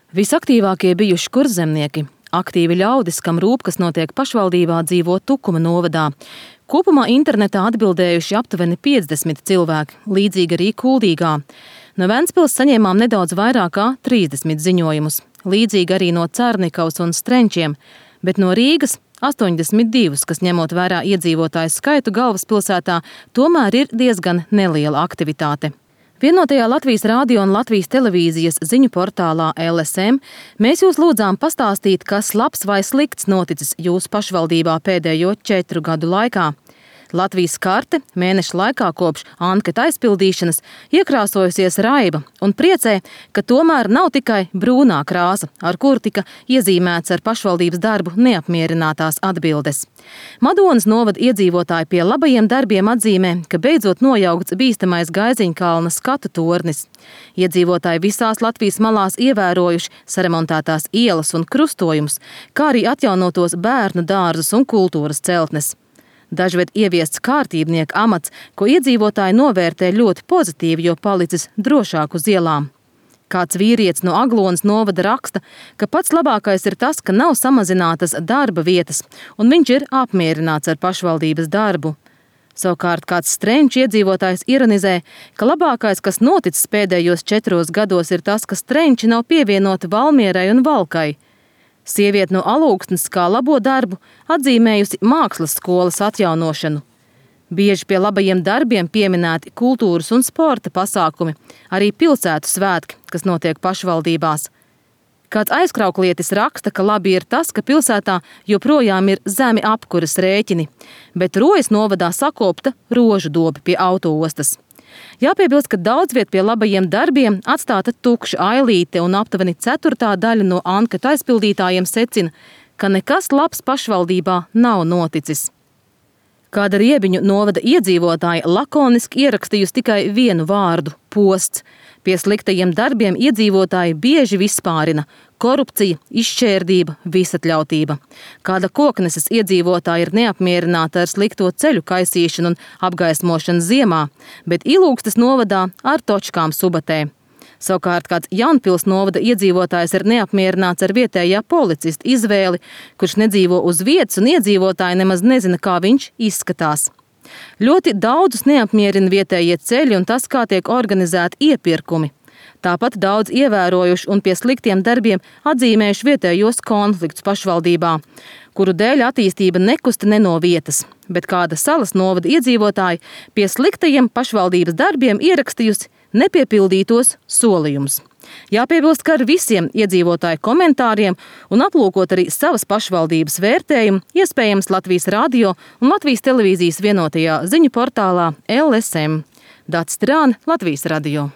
Visaktīvākie bijuši kurzemnieki. Aktīvi ļaudis, kam rūp, kas notiek pašvaldībā, dzīvo Tukuma novadā. Kopumā internetā atbildējuši aptuveni 50 cilvēki, līdzīgi arī Kuldīgā. No Ventspils saņēmām nedaudz vairāk kā 30 ziņojumus, līdzīgi arī no Cernikavas un Strenčiem, bet no Rīgas 82, kas ņemot vērā iedzīvotāju skaitu galvaspilsētā, tomēr ir diezgan neliela aktivitāte. Vienotajā Latvijas radio un Latvijas televīzijas ziņu portālā LSM mēs jūs lūdzām pastāstīt, kas labs vai slikts noticis jūsu pašvaldībā pēdējo 4 gadu laikā. Latvijas karte mēneša laikā kopš anketa aizpildīšanas iekrāsojusies raiba un priecē, ka tomēr nav tikai brūnā krāsa, ar kuru tika iezīmēts ar pašvaldības darbu neapmierinātās atbildes. Madonas novada iedzīvotāji pie labajiem darbiem atzīmē, ka beidzot nojaukts bīstamais Gaiziņkalna skatu tornis. Iedzīvotāji visās Latvijas malās ievērojuši saremontētās ielas un krustojumus, kā arī atjaunotos bērnu dārzus un kultūras celtnes. Dažviet ieviests kārtībnieka amats, ko iedzīvotāji novērtē ļoti pozitīvi, jo palicis drošāk uz ielām. Kāds vīrietis no Aglonas novada raksta, ka pats labākais ir tas, ka nav samazinātas darba vietas, un viņš ir apmierināts ar pašvaldības darbu. Savukārt kāds Strenču iedzīvotājs ironizē, ka labākais, kas noticis pēdējos 4 gados, ir tas, ka Strenči nav pievienoti Valmierai un Valkai. Sieviete no Alūksnes kā labo darbu atzīmējusi mākslas skolas atjaunošanu. Bieži pie labajiem darbiem pieminēti kultūras un sporta pasākumi, arī pilsētu svētki, kas notiek pašvaldībās. Kāds aizkrauklietis raksta, ka labi ir tas, ka pilsētā joprojām ir zemi apkuras rēķini, bet Rojas novadā sakopta rožu dobi pie autoostas. Jāpiebilst, ka daudz viet pie labajiem darbiem atstāta tukša ailīte un aptuveni 1/4 daļa no anketu aizpildītājiem secina, ka nekas labs pašvaldībā nav noticis. Kāda Riebiņu novada iedzīvotāja lakoniski ierakstījusi tikai vienu vārdu – posts. Pie sliktajiem darbiem iedzīvotāji bieži vispārina – korupcija, izšķērdība, visatļautība. Kāda Kokneses iedzīvotāja ir neapmierināta ar slikto ceļu kaisīšanu un apgaismošanu ziemā, bet Ilūgstes novadā ar točkām Subatē. Savukārt kāds Jaunpils novada iedzīvotājs ir neapmierināts ar vietējā policista izvēli, kurš nedzīvo uz vietas un iedzīvotāji nemaz nezina, kā viņš izskatās. Ļoti daudzus neapmierina vietējie ceļi un tas, kā tiek organizēti iepirkumi. Tāpat daudz ievērojuši un pie sliktiem darbiem atzīmējuši vietējos konfliktus pašvaldībā, kuru dēļ attīstība nekusta ne no vietas, bet kāda Salas novada iedzīvotāji pie sliktajiem pašvaldības darbiem ierakstījusi nepiepildītos solījumus. Jāpiebilst, ka ar visiem iedzīvotāju komentāriem un aplūkot arī savas pašvaldības vērtējumu, iespējams Latvijas radio un Latvijas televīzijas vienotajā ziņu portālā LSM. Dats Strāne, Latvijas radio.